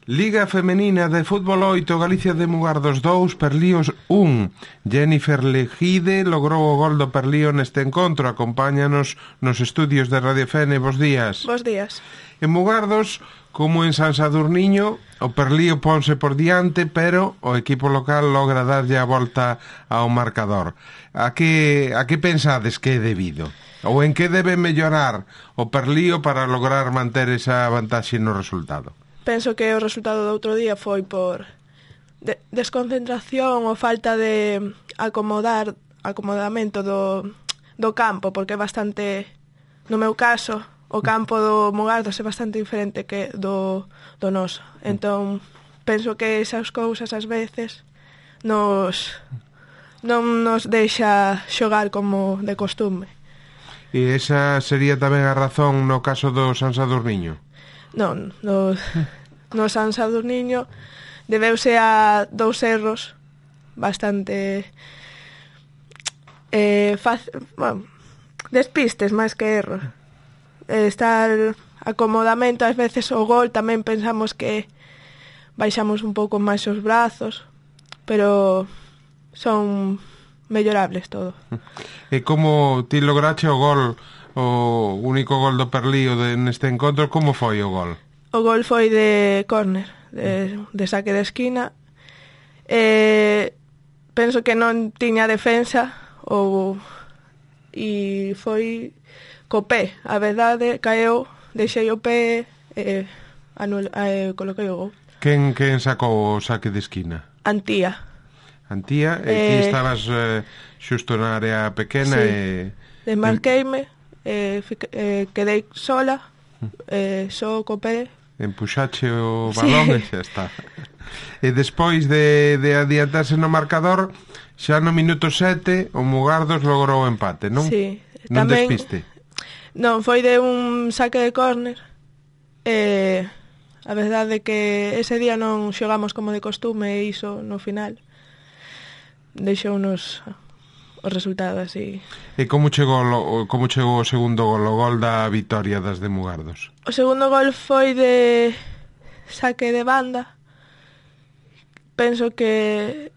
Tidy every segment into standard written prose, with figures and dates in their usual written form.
Liga Femenina de Fútbol 8, Galicia de Mugardos 2, Perlíos 1. Jennifer Legide logrou o gol do Perlío neste encontro. Acompáñanos nos estudios de Radio Fene. Bos días. Bos días. En Mugardos, como en San Sadurniño, o Perlío ponse por diante, pero o equipo local logra darlle a volta ao marcador. A que pensades que é debido? Ou en que debe mellorar o Perlío para lograr manter esa vantaxe no resultado? Penso que o resultado do outro día foi por desconcentración ou falta de acomodamento do campo, porque é bastante, no meu caso, o campo do Mugardos é bastante diferente que do noso. Entón, penso que esas cousas ás veces non nos deixa xogar como de costume. E esa sería tamén a razón no caso do San Sadurniño? Non, no San Sadurniño debeuse a dous erros bastante despistes máis que erros. Está el acomodamento, ás veces o gol tamén pensamos que baixamos un pouco máis os brazos, pero son mellorables todo. E como ti lograche o gol, o único gol do Perlío neste encontro, como foi o gol? O gol foi de córner, de saque de esquina. Penso que non tiña defensa e foi co pé. A verdade, caeu, deixei o pé e coloquei o gol. Quen sacou o saque de esquina? Antía, e ti estabas xusto na área pequena. Sí. Desmarqueime, quedei sola, só co pé. Empuxache o balón, sí. E xa está. E despois de adiantarse no marcador, xa no minuto 7 o Mugardos logrou o empate, non? Sí. Non tamén, despiste? Non, foi de un saque de córner. A verdade é que ese día non xogamos como de costume e iso no final deixounos o resultado así. E como chegou o segundo gol, o gol da vitoria das de Mugardos? O segundo gol foi de saque de banda. Penso que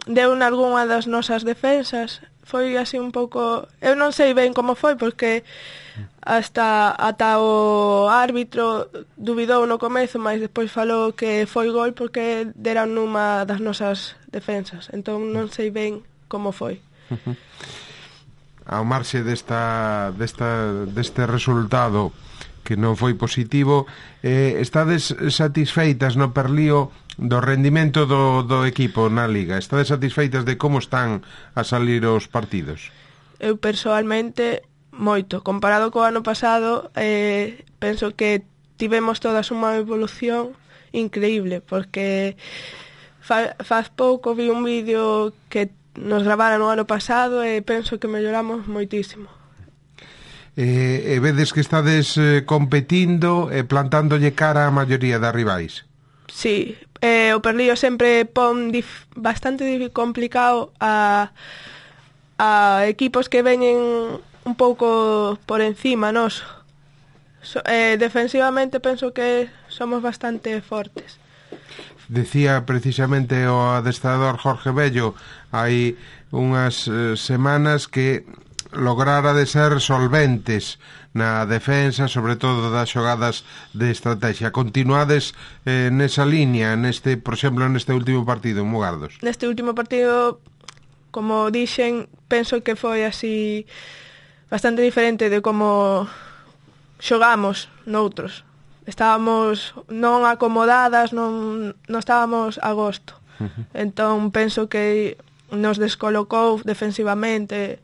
deu nalgunha das nosas defensas. Foi así un pouco... Eu non sei ben como foi, porque ata o árbitro dubidou no comezo, mas despois falou que foi gol porque deran nunha das nosas defensas. Entón non sei ben como foi. Ao marxe deste resultado que non foi positivo, estades satisfeitas no Perlío do rendimento do equipo na Liga? Estades satisfeitas de como están a salir os partidos? Eu persoalmente moito. Comparado co ano pasado, penso que tivemos todas unha evolución increíble, porque faz pouco vi un vídeo que nos gravaran no ano pasado e penso que melloramos moitísimo. E vedes que estades competindo e plantándolle cara a maioría das rivais? Sí, o Perlío sempre pon bastante complicado a equipos que veñen un pouco por encima nos. Defensivamente penso que somos bastante fortes. Decía precisamente o adestrador Jorge Bello hai unhas semanas que lograra de ser solventes na defensa, sobre todo das xogadas de estrategia. Continuades nesa línea, por exemplo, neste último partido en Mugardos? Neste último partido, como dixen, penso que foi así bastante diferente de como xogamos noutros. Estábamos non acomodadas, non estábamos a gosto. Entón penso que nos descolocou defensivamente.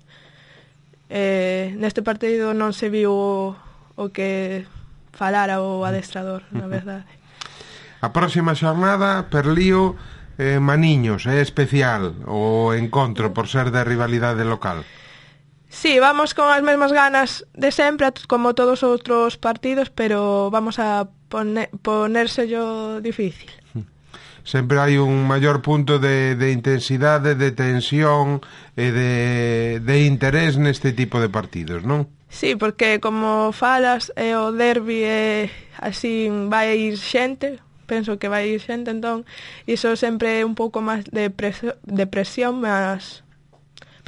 Neste partido non se viu o que falara o adestrador, na verdade. A próxima xornada, Perlío Maniños, é especial o encontro por ser de rivalidade local. Sí, vamos con as mesmas ganas de sempre, como todos os outros partidos, pero vamos a ponérselo difícil. Sempre hai un maior punto de intensidade, de tensión e de interés neste tipo de partidos, non? Sí, porque como falas o derbi así vai ir xente, penso que vai ir xente, entón iso sempre é un pouco máis de presión, mas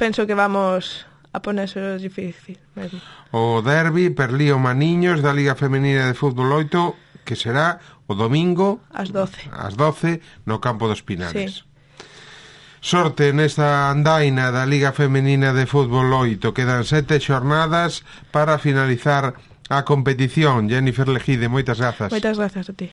penso que vamos a ponerse difícil mesmo. O derbi Perlío Maniños da Liga Femenina de Fútbol 8, que será o domingo Ás 12. ás 12 no campo dos Pinares. Sí. Sorte nesta andaina da Liga Femenina de Fútbol 8. Quedan 7 xornadas para finalizar a competición. Jennifer Lejide, moitas grazas. Moitas grazas a ti.